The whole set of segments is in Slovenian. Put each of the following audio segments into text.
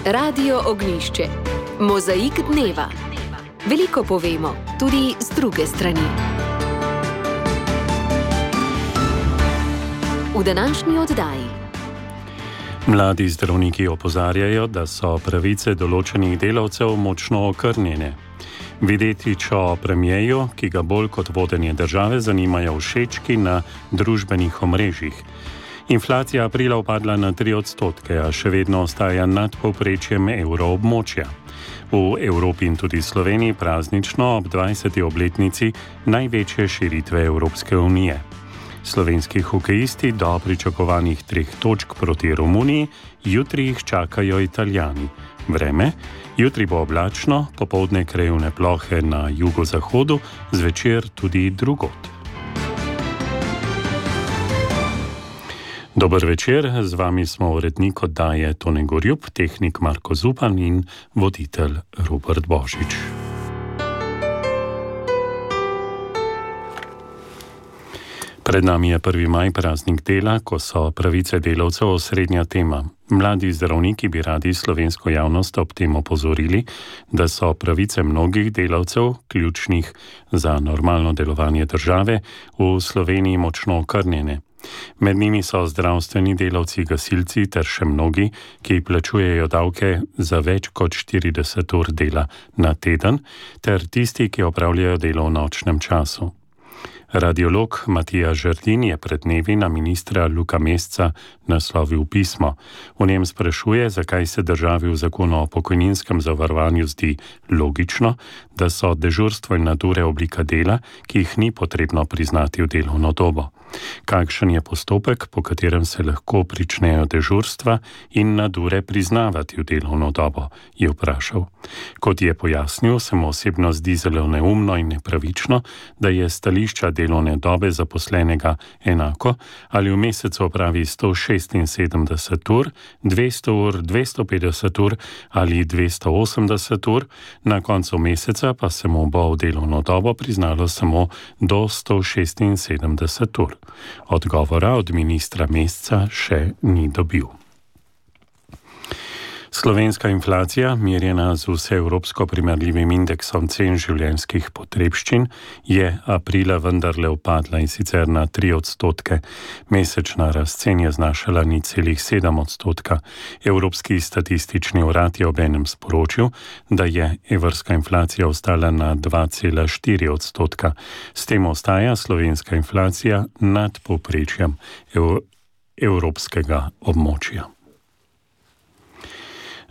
Radio Ognjišče. Mozaik dneva. Veliko povemo, tudi z druge strani. V današnji oddaji. Mladi zdravniki opozarjajo, da so pravice določenih delavcev močno okrnjene. Videtič o premijeju, ki ga bolj kot vodenje države zanimajo všečki na družbenih omrežjih. Inflacija aprila upadla na 3%, a še vedno ostaja nad povprečjem evroobmočja. V Evropi in tudi Sloveniji praznično ob 20. obletnici največje širitve Evropske unije. Slovenski hokejisti do pričakovanih 3 točk proti Romuniji, jutri jih čakajo Italijani. Vreme: jutri bo oblačno, popoldne krajevne plohe na jugozahodu, zvečer tudi drugod. Dober večer, z vami smo urednik oddaje Tone Gorjup, tehnik Marko Zupan in voditelj Robert Božič. Pred nami je 1. maj, praznik dela, ko so pravice delavcev osrednja tema. Mladi zdravniki bi radi slovensko javnost ob tem opozorili, da so pravice mnogih delavcev, ključnih za normalno delovanje države, v Sloveniji močno okrnjene. Med njimi so zdravstveni delavci, gasilci ter še mnogi, ki plačujejo davke za več kot 40 ur dela na teden, ter tisti, ki opravljajo delo v nočnem času. Radiolog Matija Žerdin je pred dnevi na ministra Luka Mesca naslovil pismo. V njem sprašuje, zakaj se državi v zakonu o pokojninskem zavarovanju zdi logično, da so dežurstvo in nadure oblika dela, ki jih ni potrebno priznati v delovno dobo. Kakšen je postopek, po katerem se lahko pričnejo dežurstva in nadure priznavati v delovno dobo, je vprašal. Kot je pojasnil, se mu osebno zdi zelo neumno in nepravično, da je stališča delovne dobe zaposlenega enako, ali v mesecu opravi 176 ur, 200 ur, 250 ur ali 280 ur, na koncu meseca pa se mu bo v delovno dobo priznalo samo do 176 ur. Odgovora od ministra Mesca še ni dobil. Slovenska inflacija, merjena z vseevropsko primerljivim indeksom cen življenjskih potrebščin, je aprila vendarle upadla, in sicer na 3%. Mesečna rast cen je znašala 0,7%. Evropski statistični urad je obenem sporočil, da je evrska inflacija ostala na 2,4%. S tem ostaja slovenska inflacija nad povprečjem evropskega območja.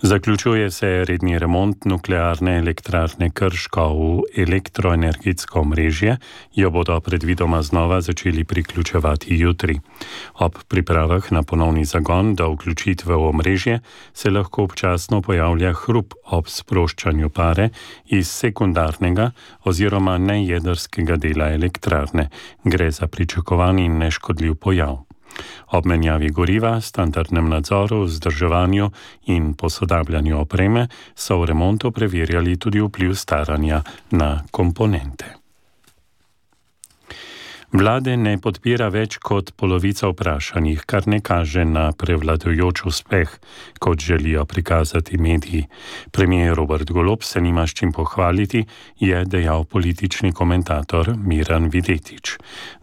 Zaključuje se redni remont nuklearne elektrarne Krško v elektroenergetsko omrežje, jo bodo predvidoma znova začeli priključevati jutri. Ob pripravah na ponovni zagon do vključitve v omrežje se lahko občasno pojavlja hrup ob sproščanju pare iz sekundarnega oziroma nejedrskega dela elektrarne. Gre za pričakovan in neškodljiv pojav. Ob menjavi goriva, standardnem nadzoru, vzdrževanju in posodabljanju opreme so v remontu preverjali tudi vpliv staranja na komponente. Vlade ne podpira več kot polovica vprašanih, kar ne kaže na prevladujoč uspeh, kot želijo prikazati mediji. Premier Robert Golob se nima s čim pohvaliti, je dejal politični komentator Miran Videtič.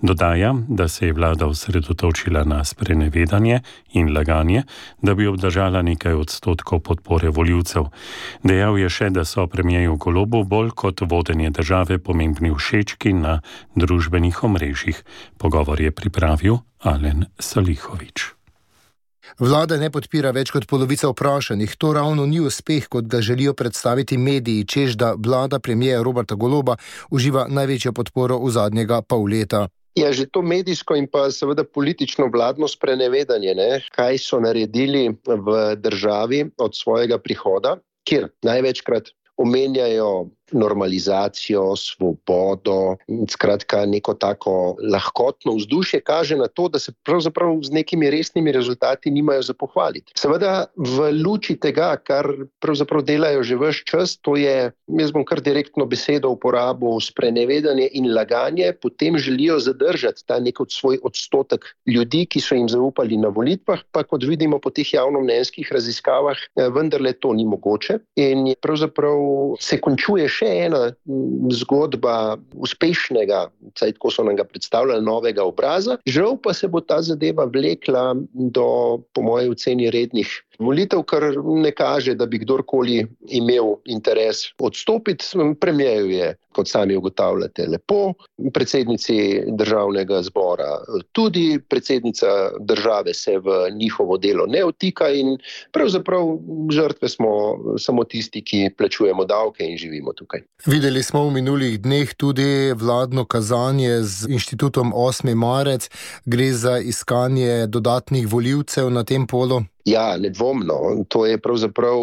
Dodaja, da se je vlada osredotočila na sprenevedanje in laganje, da bi obdržala nekaj odstotkov podpore volivcev. Dejal je še, da so premierju Golobu bolj kot vodenje države pomembni všečki na družbenih omrežjih. Pogovor je pripravil Alen Salihovič. Vlada ne podpira več kot polovica vprašanih. To ravno ni uspeh, kot ga želijo predstaviti mediji, čež da vlada premierja Roberta Goloba uživa največjo podporo v zadnjega pol leta. Ja, že to medijsko in pa seveda politično vladno sprenevedanje, kaj so naredili v državi od svojega prihoda, kjer največkrat omenjajo normalizacijo, svobodo, skratka neko tako lahkotno vzdušje, kaže na to, da se pravzaprav z nekimi resnimi rezultati nimajo za pohvaliti. Seveda v luči tega, kar pravzaprav delajo že ves čas, to je, jaz bom kar direktno besedo uporabil, sprenevedanje in laganje, potem želijo zadržati ta nek svoj odstotek ljudi, ki so jim zaupali na volitvah, pa kot vidimo po teh javnomnenjskih raziskavah, vendarle to ni mogoče. In pravzaprav se končuje še ena zgodba uspešnega, vsaj tako so nam ga predstavljali, novega obraza. Žal pa se bo ta zadeva vlekla do, po moji oceni, rednih volitev, kar ne kaže, da bi kdorkoli imel interes odstopiti. Premierju je, kot sami ugotavljate, lepo, predsednici državnega zbora tudi, predsednica države se v njihovo delo ne vtika in pravzaprav žrtve smo samo tisti, ki plačujemo davke in živimo tukaj. Videli smo v minulih dneh tudi vladno kazanje z inštitutom 8. marec. Gre za iskanje dodatnih volivcev na tem polu. Ja, nedvomno. To je pravzaprav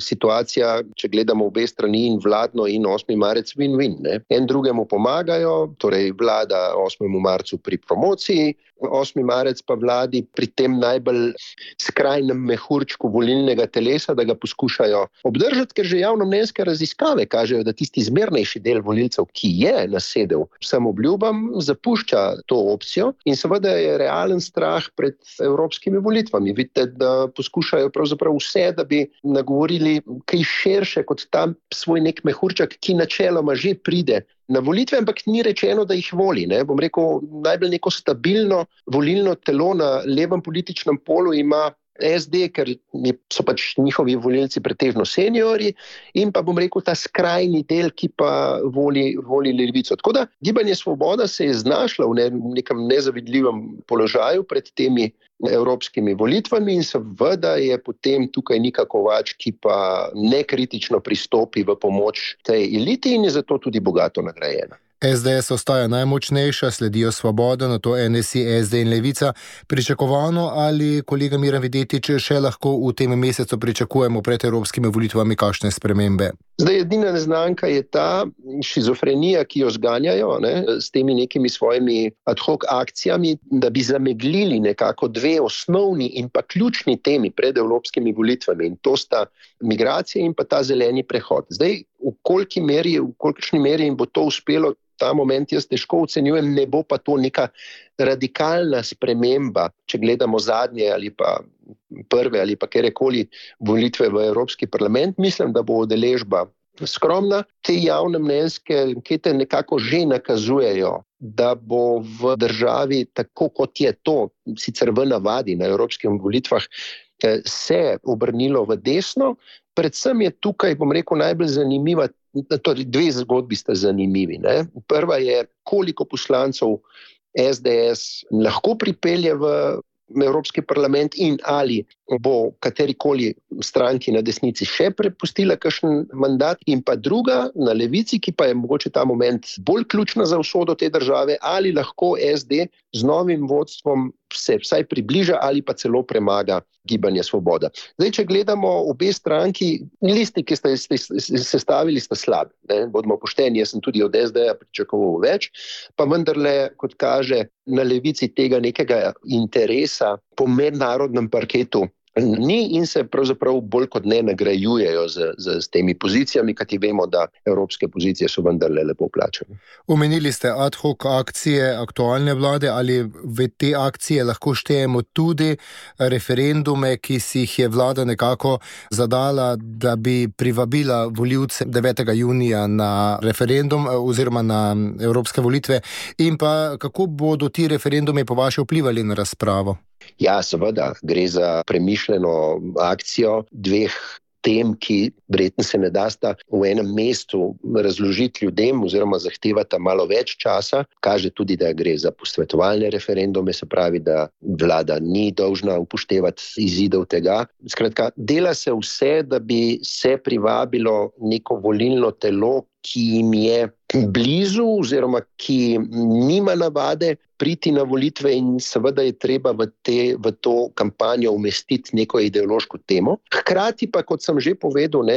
situacija, če gledamo obe strani, in vladno in 8. marec, win-win. En drugemu pomagajo, torej vlada 8. marcu pri promociji, 8. marec pa vladi pri tem najbolj skrajnem mehurčku volilnega telesa, da ga poskušajo obdržati, ker že javnomnenjske raziskave kažejo, da tisti zmernejši del volilcev, ki je nasedel vsem obljubam, zapušča to opcijo in seveda je realen strah pred evropskimi volitvami. Vidite, da poskušajo pravzaprav vse, da bi nagovorili kaj širše kot tam svoj nek mehurček, ki načeloma že pride na volitve, ampak ni rečeno, da jih voli. Bom rekel, najbolj neko stabilno volilno telo na levem političnem polu ima SD, ker so pač njihovi volilci pretežno seniori, in pa bom rekel ta skrajni del, ki pa voli levico. Tako da Gibanje Svoboda se je znašla v nekem nezavidljivem položaju pred temi evropskimi volitvami in seveda je potem tukaj Nika Kovač, ki pa nekritično pristopi v pomoč tej eliti in je zato tudi bogato nagrajena. SDS ostaja najmočnejša, sledijo Svoboda, nato NSI, SD in Levica. Pričakovano ali, kolega Miran Videtič, še lahko v tem mesecu pričakujemo pred evropskimi volitvami kakšne spremembe? Zdaj, edina neznanka je ta šizofrenija, ki jo zganjajo s temi nekimi svojimi ad hoc akcijami, da bi zameglili nekako dve osnovni in pa ključni temi pred evropskimi volitvami, in to sta migracije in pa ta zeleni prehod. Zdaj, v kolikšni meri jim bo to uspelo, ta moment jaz težko ocenjujem, ne bo pa to neka radikalna sprememba, če gledamo zadnje ali pa prve ali pa kjerkoli volitve v Evropski parlament. Mislim, da bo udeležba skromna. Te javnomnenjske ankete nekako že nakazujejo, da bo v državi, tako kot je to sicer v navadi na evropskih volitvah, se obrnilo v desno. Predvsem je tukaj, bom rekel, najbolj zanimiva, torej dve zgodbi sta zanimivi. Prva je, koliko poslancev SDS lahko pripelje v Evropski parlament in ali bo katerikoli stranki na desnici še prepustila kakšen mandat, in pa druga na levici, ki pa je mogoče ta moment bolj ključna za usodo te države, ali lahko SD z novim vodstvom se vsaj približa ali pa celo premaga Gibanje Svoboda. Zdaj, če gledamo obe stranki, listi, ki ste sestavili, sta slabi. Bodimo pošteni, jaz sem tudi od SD-ja pričakoval več, pa vendarle, kot kaže, na levici tega nekega interesa po mednarodnem parketu ni in se pravzaprav bolj kot ne nagrajujejo z temi pozicijami, kajti vemo, da evropske pozicije so vendarle lepo plačane. Omenili ste ad hoc akcije aktualne vlade, ali v te akcije lahko štejemo tudi referendume, ki si jih je vlada nekako zadala, da bi privabila volivce 9. junija na referendum oziroma na evropske volitve, in pa kako bodo ti referendumi po vaše vplivali na razpravo? Ja, seveda, gre za premišljeno akcijo dveh tem, ki verjetno se ne dasta v enem mestu razložiti ljudem oziroma zahtevata malo več časa. Kaže tudi, da gre za posvetovalne referendume, se pravi, da vlada ni dolžna upoštevati izidov tega. Skratka, dela se vse, da bi se privabilo neko volilno telo, ki jim je blizu oziroma ki nima navade priti na volitve in seveda je treba v to kampanjo umestiti neko ideološko temo. Hkrati pa, kot sem že povedal,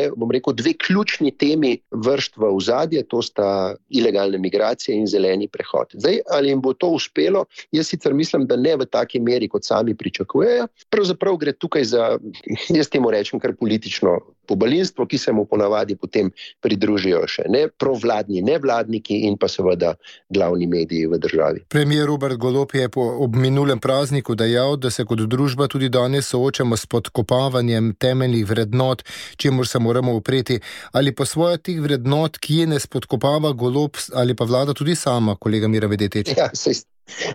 dve ključni temi vršt v ozadje, to sta ilegalne migracije in zeleni prehod. Zdaj, ali jim bo to uspelo? Jaz sicer mislim, da ne v taki meri, kot sami pričakujejo. Pravzaprav gre tukaj za, jaz temu rečem, kar politično pobalinstvo, ki se mu ponavadi potem pridružijo še provladni, nevladniki in pa seveda glavni mediji v državi. Premier Robert Golob je ob minulem prazniku dejal, da se kot družba tudi danes soočamo s podkopavanjem temeljnih vrednot, čemur se moramo upreti. Ali po svoje teh vrednot, ki ne spodkopava Golob ali pa vlada tudi sama, kolega Mira Vedeteč? Ja,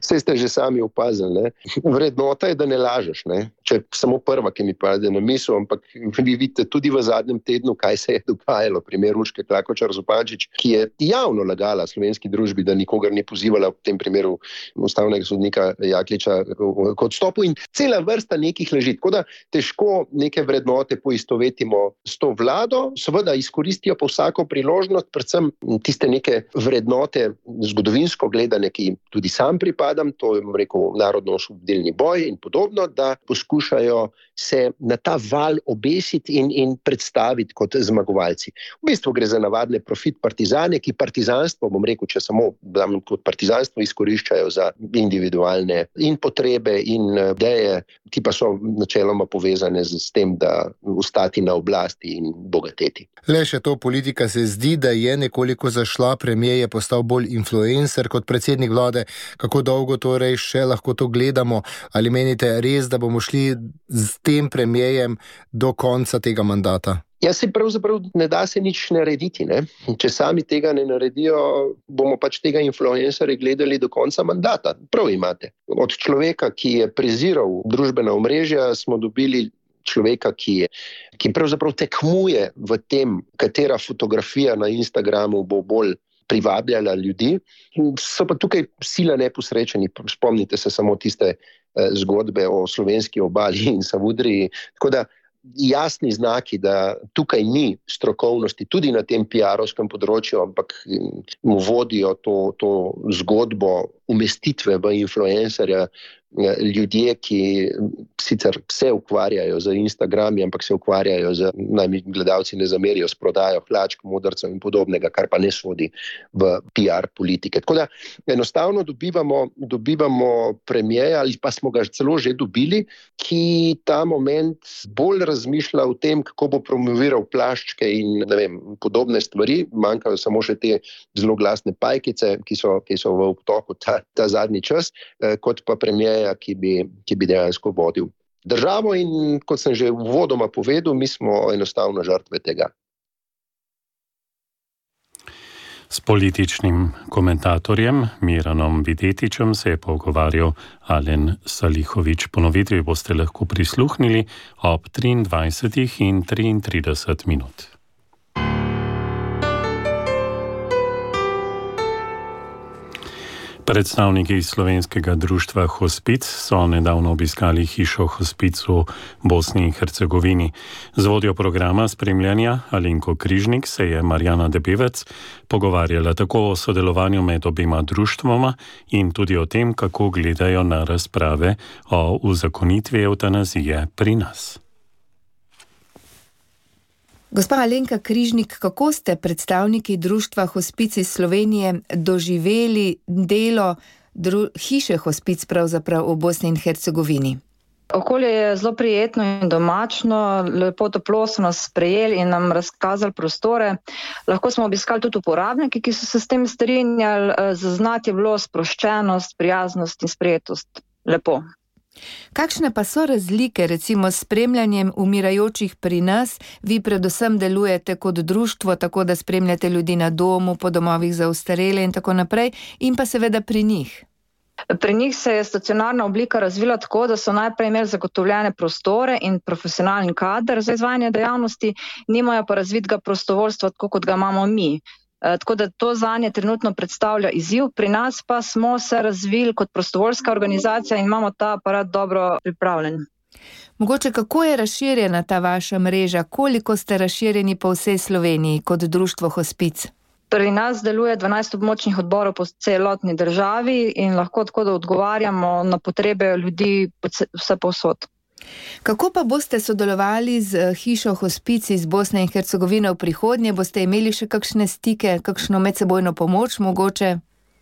Saj ste že sami opazili. Vrednota je, da ne lažeš. Če samo prva, ki mi pade na misel, ampak vi vidite tudi v zadnjem tednu, kaj se je dogajalo. Primer Urške Klakočar Zupančič, ki je javno lagala slovenski družbi, da nikogar ni pozivala, v tem primeru ustavnega sodnika Jakliča k odstopu in cela vrsta nekih laži. Tako da težko neke vrednote poistovetimo s to vlado, seveda izkoristijo pa vsako priložnost, predvsem tiste neke vrednote zgodovinsko gledane, ki tudi sam pripadam, to je, narodno-osvobodilni boj in podobno, da poskušajo se na ta val obesiti in predstaviti kot zmagovalci. V bistvu gre za navadne profit partizane, ki partizanstvo, če samo kot partizanstvo izkoriščajo za individualne in potrebe in ideje, ti pa so načeloma povezane s tem, da ostati na oblasti in bogateti. Le še to, politika se zdi, da je nekoliko zašla, premier je postal bolj influencer kot predsednik vlade. Kako dolgo torej še lahko to gledamo? Ali menite res, da bomo šli z tem premierjem do konca tega mandata? Ja, se pravzaprav ne da se nič narediti. Če sami tega ne naredijo, bomo pač tega influencerja gledali do konca mandata. Prav imate. Od človeka, ki je preziral družbena omrežja, smo dobili človeka, ki pravzaprav tekmuje v tem, katera fotografija na Instagramu bo bolj privabljala ljudi. So pa tukaj sila neposrečeni. Spomnite se samo tiste zgodbe o slovenski obali in Savudriji. Tako da jasni znaki, da tukaj ni strokovnosti tudi na tem PR-ovskem področju, ampak mu vodijo to zgodbo umestitve v influencerja ljudje, ki sicer se ukvarjajo z Instagrami, ampak se ukvarjajo naj mi gledalci ne zamerijo, s prodajo hlačk, modrcev in podobnega, kar pa ne sodi v PR politike. Tako da enostavno dobivamo premierja, ali pa smo ga celo že dobili, ki ta moment bolj razmišlja o tem, kako bo promoviral plaščke in podobne stvari. Manjkajo samo še te zelo glasne pajkice, ki so v obtoku ta zadnji čas, kot pa premierja, ki bi dejansko vodil državo in, kot sem že uvodoma povedal, mi smo enostavno žrtve tega. S političnim komentatorjem Miranom Videtičem se je pogovarjal Alen Salihović. Ponovitvi boste lahko prisluhnili ob 23:33. Predstavniki slovenskega društva Hospic so nedavno obiskali hišo Hospic v Bosni in Hercegovini. Z vodjo programa spremljanja Alenko Križnik se je Marjana Debevec pogovarjala tako o sodelovanju med obima društvoma in tudi o tem, kako gledajo na razprave o uzakonitvi evtanazije pri nas. Gospa Alenka Križnik, kako ste predstavniki društva Hospic iz Slovenije doživeli delo hiše Hospic pravzaprav v Bosni in Hercegovini? Okolje je zelo prijetno in domačno, lepo toplo so nas sprejeli in nam razkazali prostore. Lahko smo obiskali tudi uporabniki, ki so se s tem strinjali, zaznati je bilo sproščenost, prijaznost in sprejetost. Lepo. Kakšne pa so razlike recimo s spremljanjem umirajočih pri nas? Vi predvsem delujete kot društvo, tako da spremljate ljudi na domu, po domovih za ostarele in tako naprej, in pa seveda pri njih. Pri njih se je stacionarna oblika razvila tako, da so najprej imeli zagotovljene prostore in profesionalni kader za izvajanje dejavnosti, nimajo pa razvitega prostovoljstva, tako kot ga imamo mi. Tako da to zanje trenutno predstavlja izziv. Pri nas pa smo se razvili kot prostovoljska organizacija in imamo ta aparat dobro pripravljen. Mogoče kako je razširjena ta vaša mreža? Koliko ste razširjeni po vsej Sloveniji kot društvo Hospic? Pri nas deluje 12 območnih odborov po celotni državi in lahko tako, da odgovarjamo na potrebe ljudi vse povsod. Kako pa boste sodelovali z hišo Hospic iz Bosne in Hercegovine v prihodnje? Boste imeli še kakšne stike, kakšno medsebojno pomoč mogoče?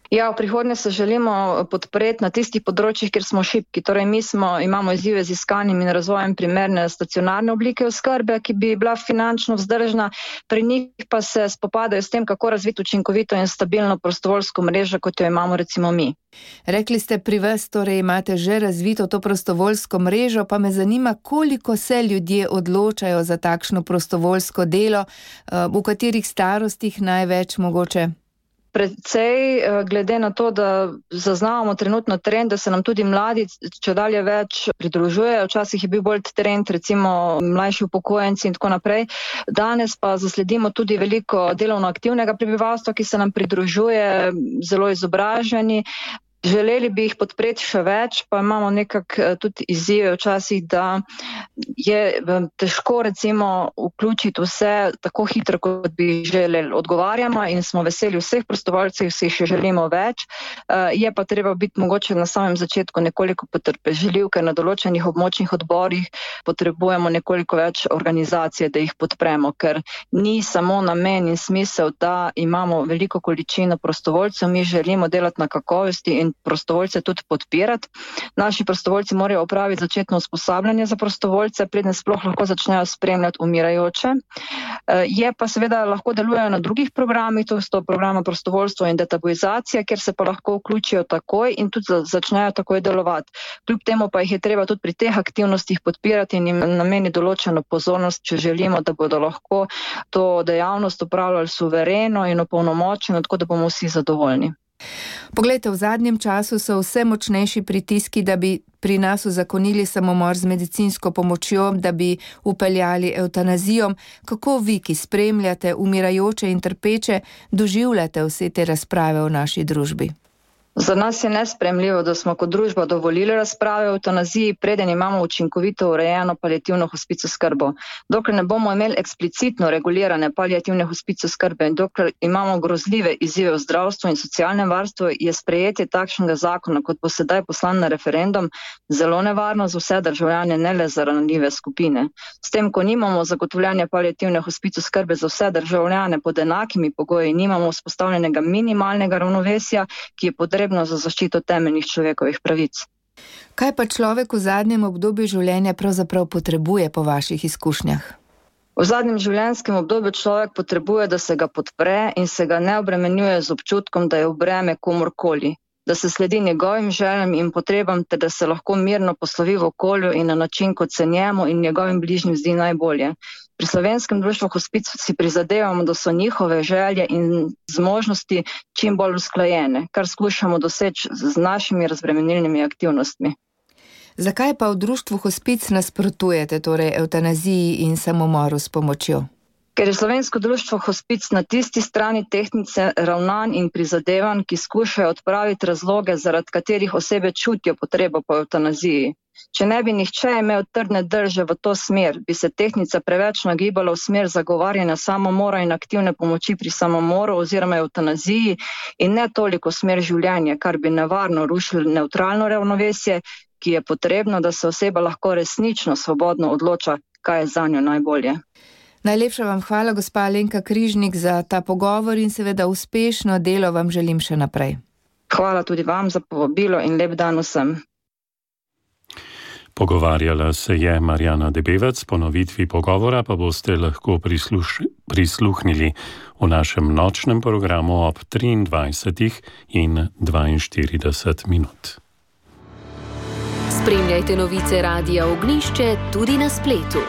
Ja, v prihodnje se želimo podpreti na tistih področjih, kjer smo šibki. Torej, imamo izzive z iskanjem in razvojem primerne stacionarne oblike oskrbe, ki bi bila finančno vzdržna. Pri njih pa se spopadajo s tem, kako razviti učinkovito in stabilno prostovoljsko mrežo, kot jo imamo recimo mi. Rekli ste, pri vas torej imate že razvito to prostovoljsko mrežo, pa me zanima, koliko se ljudje odločajo za takšno prostovoljsko delo, v katerih starostih največ mogoče? Predvsej, glede na to, da zaznavamo trenutno trend, da se nam tudi mladi čedalje več pridružujejo. Včasih je bil bolj trend, recimo mlajši upokojenci in tako naprej. Danes pa zasledimo tudi veliko delovno aktivnega prebivalstva, ki se nam pridružuje, zelo izobraženi. Želeli bi jih podpreti še več, pa imamo nekako tudi izzive včasih, da je težko recimo vključiti vse tako hitro, kot bi želeli. Odgovarjamo in smo veseli vseh prostovoljcev, vsi še želimo več. Je pa treba biti mogoče na samem začetku nekoliko potrpežljiv, ker na določenih območnih odborih potrebujemo nekoliko več organizacije, da jih podpremo, ker ni samo namen in smisel, da imamo veliko količino prostovoljcev, mi želimo delati na kakovosti in prostovoljce tudi podpirati. Naši prostovoljci morajo opraviti začetno usposabljanje za prostovoljce, preden sploh lahko začnejo spremljati umirajoče. Je pa seveda lahko delujejo na drugih programih, to so programa prostovoljstvo in detabuizacija, kjer se pa lahko vključijo takoj in tudi začnejo takoj delovati. Kljub temu pa jih je treba tudi pri teh aktivnostih podpirati in jim nameniti določeno pozornost, če želimo, da bodo lahko to dejavnost opravljali suvereno in opolnomočeno, tako da bomo vsi zadovoljni. Poglejte, v zadnjem času so vse močnejši pritiski, da bi pri nas uzakonili samomor z medicinsko pomočjo, da bi upeljali evtanazijo. Kako vi, ki spremljate umirajoče in trpeče, doživljate vse te razprave v naši družbi? Za nas je nesprejemljivo, da smo kot družba dovolili razprave o evtanaziji, preden imamo učinkovito urejeno paliativno hospic oskrbo. Dokler ne bomo imeli eksplicitno regulirane paliativne hospic oskrbe in dokler imamo grozljive izzive v zdravstvu in socialnem varstvu, je sprejetje takšnega zakona, kot bo sedaj poslan na referendum, zelo nevarno za vse državljane, ne le za ranljive skupine. S tem, ko nimamo zagotovljanja paliativne hospic oskrbe za vse državljane pod enakimi pogoji, nimamo vzpostavljenega minimalnega ravnovesja, ki je potrebno za zaščito temeljnih človekovih pravic. Kaj pa človek v zadnjem obdobju življenja pravzaprav potrebuje po vaših izkušnjah? V zadnjem življenjskem obdobju človek potrebuje, da se ga podpre in se ga ne obremenjuje z občutkom, da je v breme komurkoli, da se sledi njegovim željam in potrebam, ter da se lahko mirno poslovi v okolju in na način, kot se njemu in njegovim bližnjim zdi najbolje. Pri Slovenskem društvu Hospic si prizadevamo, da so njihove želje in zmožnosti čim bolj usklajene, kar skušamo doseči z našimi razbremenilnimi aktivnostmi. Zakaj pa v društvu Hospic nasprotujete torej evtanaziji in samomoru s pomočjo? Ker je Slovensko društvo Hospic na tisti strani tehtnice ravnanj in prizadevanj, ki skušajo odpraviti razloge, zaradi katerih osebe čutijo potrebo po evtanaziji. Če ne bi nihče imel trdne drže v to smer, bi se tehtnica preveč nagibala v smer zagovarjanja samomora in aktivne pomoči pri samomoru oziroma evtanaziji in ne toliko smer življenja, kar bi nevarno rušilo nevtralno ravnovesje, ki je potrebno, da se oseba lahko resnično svobodno odloča, kaj je zanjo najbolje. Najlepša vam hvala, gospa Alenka Križnik, za ta pogovor in seveda uspešno delo vam želim še naprej. Hvala tudi vam za povabilo in lep dan vsem. Pogovarjala se je Marjana Debevec, ponovitvi pogovora pa boste lahko prisluhnili v našem nočnem programu ob 23 in 42 minut. Spremljajte novice Radia Ognjišče tudi na spletu.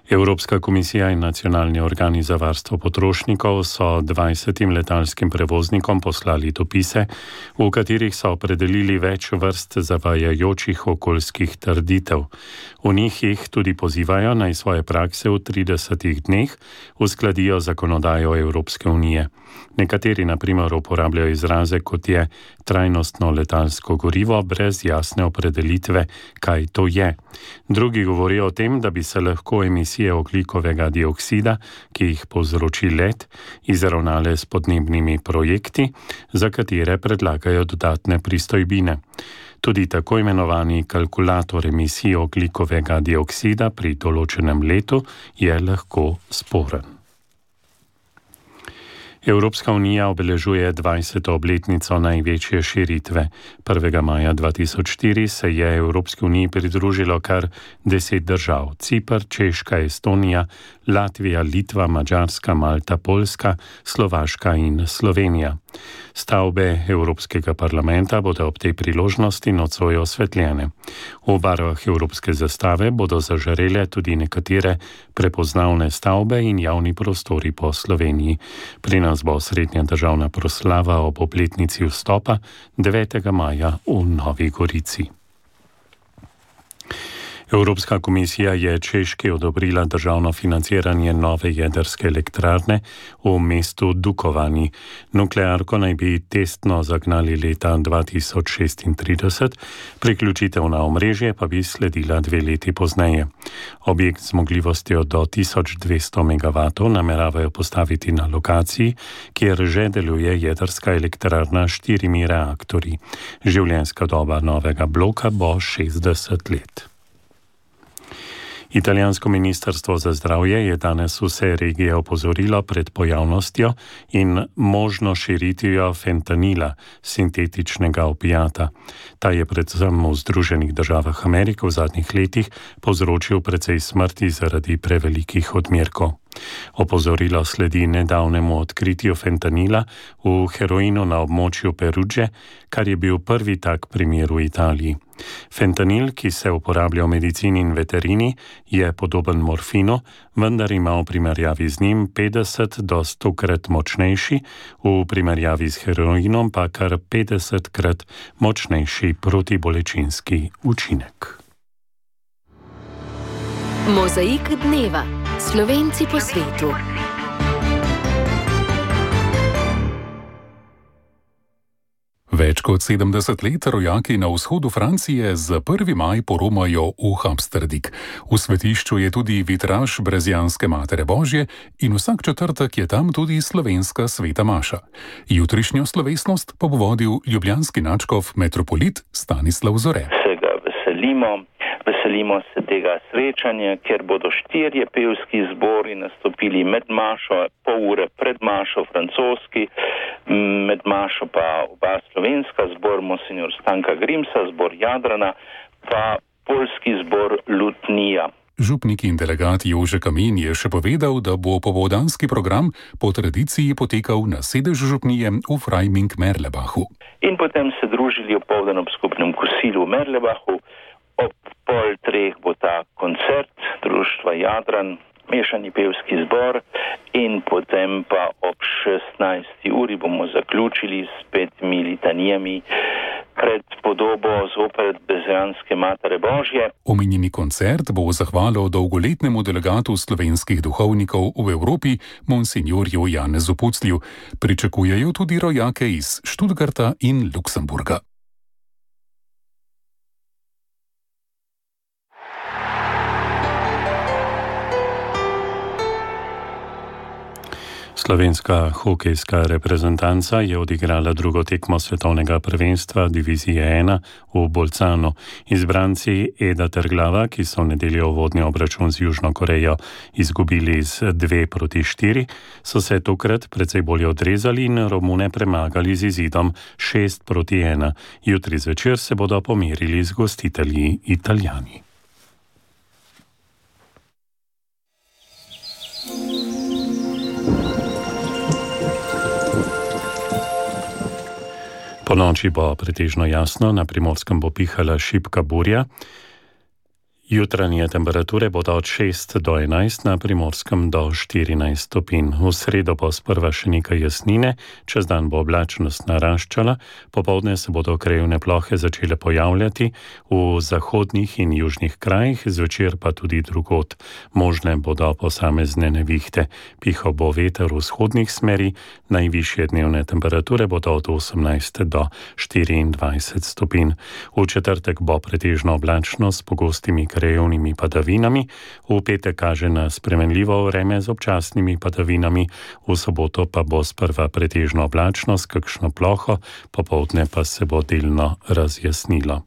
Evropska komisija in nacionalni organi za varstvo potrošnikov so 20 letalskim prevoznikom poslali dopise, v katerih so opredelili več vrst zavajajočih okoljskih trditev. V njih jih tudi pozivajo, naj svoje prakse v 30 dneh uskladijo zakonodajo Evropske unije. Nekateri na primer uporabljajo izraze, kot je trajnostno letalsko gorivo, brez jasne opredelitve, kaj to je. Drugi govorijo o tem, da bi se lahko emisije emisije ogljikovega dioksida, ki jih povzroči let, izravnale s podnebnimi projekti, za katere predlagajo dodatne pristojbine. Tudi tako imenovani kalkulator emisij ogljikovega dioksida pri določenem letu je lahko sporen. Evropska unija obeležuje 20. obletnico največje širitve. 1. maja 2004 se je Evropski uniji pridružilo kar 10 držav: Ciper, Češka, Estonija, Latvija, Litva, Madžarska, Malta, Poljska, Slovaška in Slovenija. Stavbe Evropskega parlamenta bodo ob tej priložnosti nocoj osvetljene. V barvah evropske zastave bodo zažarele tudi nekatere prepoznavne stavbe in javni prostori po Sloveniji. Pri nas bo srednja državna proslava ob obletnici vstopa 9. maja v Novi Gorici. Evropska komisija je Češki odobrila državno financiranje nove jedrske elektrarne v mestu Dukovani. Nuklearko naj bi testno zagnali leta 2036, priključitev na omrežje pa bi sledila 2 leti pozneje. Objekt z zmogljivostjo do 1200 MW nameravajo postaviti na lokaciji, kjer že deluje jedrska elektrarna s 4 reaktorji. Življenjska doba novega bloka bo 60 let. Italijansko ministrstvo za zdravje je danes vse regije opozorilo pred pojavnostjo in možno širitvijo fentanila, sintetičnega opijata. Ta je predvsem v Združenih državah Amerike v zadnjih letih povzročil precej smrti zaradi prevelikih odmerkov. Opozorilo sledi nedavnemu odkritju fentanila v heroinu na območju Perudže, kar je bil prvi tak primer v Italiji. Fentanil, ki se uporablja v medicini in veterini, je podoben morfinu, vendar ima v primerjavi z njim 50 do 100-krat močnejši, v primerjavi z heroinom pa kar 50-krat močnejši protibolečinski učinek. Mozaik dneva. Slovenci po svetu. Več kot 70 let rojaki na vzhodu Francije z 1. maj poromajo v Hamsterdik. V svetišču je tudi vitraž Brezijanske Matere Božje in vsak četrtek je tam tudi slovenska sveta maša. Jutrišnjo slovesnost pa bo vodil ljubljanski nadškof metropolit Stanislav Zore. Se ga veselimo se tega srečanja, ker bodo 4 pevski zbori nastopili med mašo, pol ure pred mašo francoski, med mašo pa oba slovenska zbor Monsignor Stanka Grimsa, zbor Jadrana, pa poljski zbor Lutnija. Župnik in delegat Jože Kamin je še povedal, da bo popoldanski program po tradiciji potekal na sedežu župnije v Freiming-Merlebachu. In potem se družili opoldan ob skupnem kosilu v Merlebachu. Ob 2:30 bo ta koncert društva Jadran, mešani pevski zbor, in potem pa ob 16. uri bomo zaključili s 5 litanijami pred podobo zopet Brezijanske Matere Božje. Omenjeni koncert bo v zahvalo dolgoletnemu delegatu slovenskih duhovnikov v Evropi, monsinjorju Janezu Puclju. Pričakujejo tudi rojake iz Študgarta in Luksemburga. Slovenska hokejska reprezentanca je odigrala drugo tekmo svetovnega prvenstva divizije 1 v Bolcanu. Izbranci Eda Terglava, ki so v nedeljo uvodni obračun z Južno Korejo izgubili z 2-4, so se tokrat precej bolje odrezali in Romune premagali z izidom 6-1. Jutri zvečer se bodo pomerili z gostitelji Italijani. Po noči bo pretežno jasno, na Primorskem bo pihala šibka burja. Jutranje temperature bodo od 6 do 11, na Primorskem do 14 stopinj. V sredo bo sprva še nekaj jasnine, čez dan bo oblačnost naraščala, popoldne se bodo krajevne plohe začele pojavljati v zahodnih in južnih krajih, zvečer pa tudi drugod. Možne bodo posamezne nevihte. Pihal bo veter v vzhodnih smeri, najvišje dnevne temperature bodo od 18 do 24 stopinj. V četrtek bo pretežno oblačno s pogostimi krajevnimi padavinami, v petek kaže na spremenljivo vreme z občasnimi padavinami, v soboto pa bo sprva pretežno oblačno s kakšno ploho, popoldne pa se bo delno razjasnilo.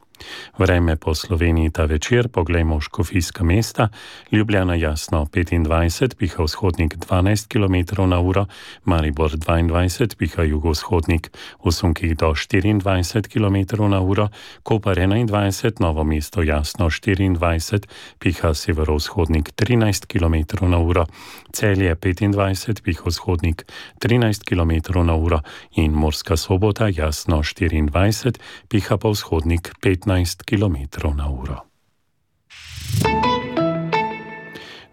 Vreme po Sloveniji ta večer, poglejmo Škofijska mesta, Ljubljana jasno 25, piha vzhodnik 12 km/h, Maribor 22, piha jugovzhodnik v sunkih do 24 km/h, Koper 21, Novo mesto jasno 24, piha severovzhodnik 13 km/h, Celje 25, piha vzhodnik 13 km/h in Murska Sobota jasno 24, piha pa vzhodnik 15 km/h.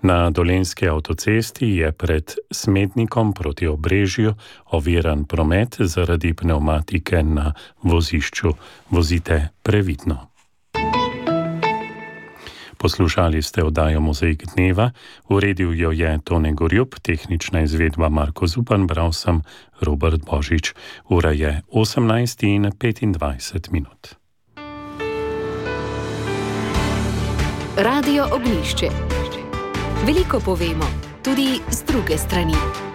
Na Dolenjski avtocesti je pred Smednikom proti Obrežju oviran promet zaradi pnevmatike na vozišču. Vozite previdno. Poslušali ste oddajo Mozaik dneva, uredil jo je Tone Gorjup, tehnična izvedba Marko Zupan, bral sem Robert Božič. Ura je 18:25. Radio Ognjišče. Veliko povemo, tudi z druge strani.